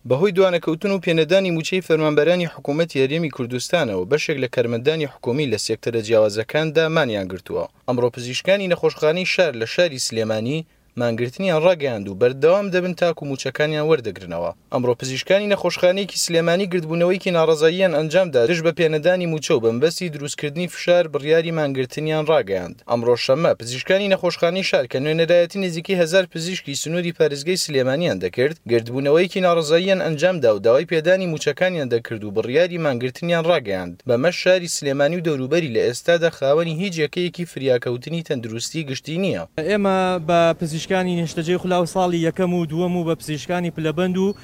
بەهۆی دوانەکەوتن و پێنەدانی مووچەی فەرمانبەرانی حکوومەتی هەرێمی کوردستانەوە بەشێک لە کارمەندانی حکوومی لە سێکتەرە جیاوازەکاندا مانیان گرتووە. ئەمڕۆ پزیشکانی نەخۆشخانەی شار لە شاری سلێمانی مانگرتنیان ڕاگەیاند و بەردەوام دەبن تاکو مووچەکانیان وەردەگرنەوە. ئەمڕۆ پزیشکانی نەخۆشخانەیەکی سلێمانی گردبوونەوەیەکی ناڕەزاییان ئەنجامدا دژ بە پێنەدانی مووچە و بەمەبەستی دروستکردنی فشار بڕیاری مانگرتنیان ڕاگەیاند. ئەمڕۆ شەممە پزیشکانی نەخۆشخانەی شار کە نوێنەرایەتی نزیکەی هەزار پزیشکی سنووری پارێزگای سلێمانیان دەکرد، گردبوونەوەیەکی ناڕەزاییان ئەنجامدا و داوای پێدانی مووچەکانیان دەکرد و بڕیاری مانگرتنیان ڕاگەیاند. بەمەش شاری سلێمانی و دەوروبەری لە ئێستادا خاوەنی هیچ یەکەیەکی فریاکەوتنی تەندروستی گشتی نییە. ئێمە بە پزیشکانی نیشتەجێی خولاو ساڵی یەکەم و دووەم و بە پزیشکانی پلەبەند و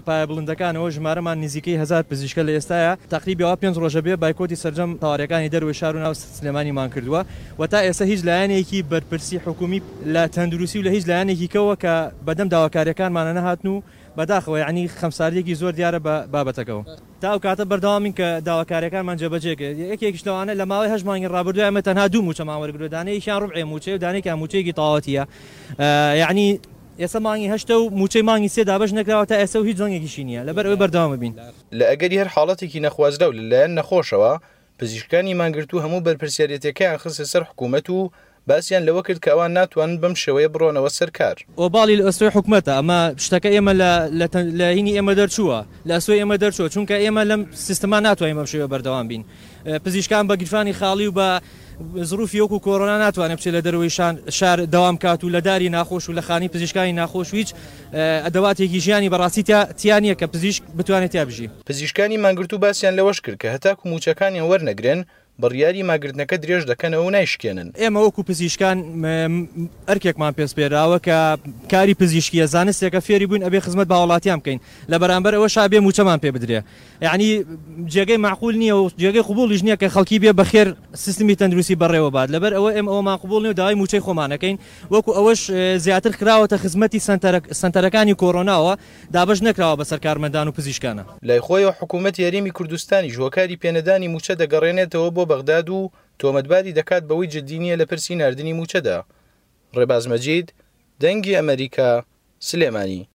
پایەبڵندەکانەوە ژمارەمان نزیکەی هەزار پزیشکە لە ئێستایا تەقریبی ئەوە پێنج ڕۆژە بێ بایکۆتی سەرجەم تەوارەکانی دەرەوەی شار و ناو سلێمانیمان کردووە و تا ئێستا هیچ لایەنێکی بەرپرسی حکومی لە تەندروستی و لە هیچ لایەنێکی کەوە کە بەدەم داواکاریەکانمانە نەهاتن و بەداخەوە یەعنی خەمساردیەکی زۆر دیارە بە بابەتەکەوە. تا ئەو کاتە بەردەوامین کە داواکاریەکانمان جێبەجێ کرد یەکێکیش لەوانە لە ماوەی هەشت مانگی ڕابردوو ئێمە تەنها دوو مووچەمان وەرگرتووە دانەیەکیان ڕوبعێ مووچەیە و دانەیەکیان مووچەیەکی تەواوەتیە یەعنی ئێستا مانگی هەشتە و مووچەی مانگی سێ دابەش نەکراوە تا ئێستا و هیچ دەنگێکیشی نییە لەبەر ئەوەی بەردەوام بین. لە ئەگەری هەر حاڵەتێکی نەخوازراو لە لایەن نەخۆشەوە، پزیشکانی مانگرتوو هەموو بەرپرسیارێتیەکەیان خستە سەر حکوومەت و باسیان لەوە کرد کە ئەوان ناتوانن بەم شێوەیە بڕۆنەوە سەر کار. ئۆباڵی لە ئەستۆی حکومەتە، ئەمە شتەکە ئێمە لە لە هینی ئێمە دەرچووە، لە ئەستۆی ئێمە دەرچووە، چونکە ئێمە لەم سیستمە ناتوانین بەم شێوەیە بەردەوام بین. پزیشکان بە گیرفانی خاڵی و بە زروفی وەکو کۆرۆنا ناتوانێت بچێت لە دەرەوەی شار دەوام کات و لە داری ناخۆش و لە خانی پزیشکانی ناخۆش و هیچ ئەدەواتێکی ژیانی بەڕاستی تیا نییە کە پزیشک بتوانێت تیا بژی. پزیشکانی مانگرتوو باسیان لەوەش کرد کە هەتاکو مووچەکانیان وەرنەگرن بڕیاری ماگرتنەکە درێژ دەکەنەوە و نایشکێنن. ئێمە وەکو پزیشکان ئەرکێکمان پێ سپێراوە کە کاری پزیشکییە، زانستێکە فێری بووین ئەبێ خزمەت بە هاوڵاتیان بکەین، لە بەرامبەر ئەوەشا ئەبێ مووچەمان پێ بدرێ. یەعنی جێگەی مەعقول نییە و جێگەی قبوڵیش نییە کە خەڵکی بێ بەخێر سیستمی تەندروستی بەڕێوە بات، لەبەر ئەوە ئێمە ئەوەمان قبوڵ نییە و داوای مووچەی خۆمان ئەکەین، وەکو ئەوەش زیاتر خراوەتە خزمەتی سەنتەرەکانی کۆرۆناوە دابەش نەکراوە بەسەر کارمەندان و پزیشکانە. لای خۆیەوە حکوومەتی هەرێمی کوردستانیش هۆکاری پێنەدانی مووچە دەگەڕێنێتەوە بۆ بەغداد و تۆمەتباری دەکات بەوەی جددی نییە لە پرسی ناردنی مووچەدا. ڕێباز مەجید، دەنگی ئەمەریکا، سلێمانی.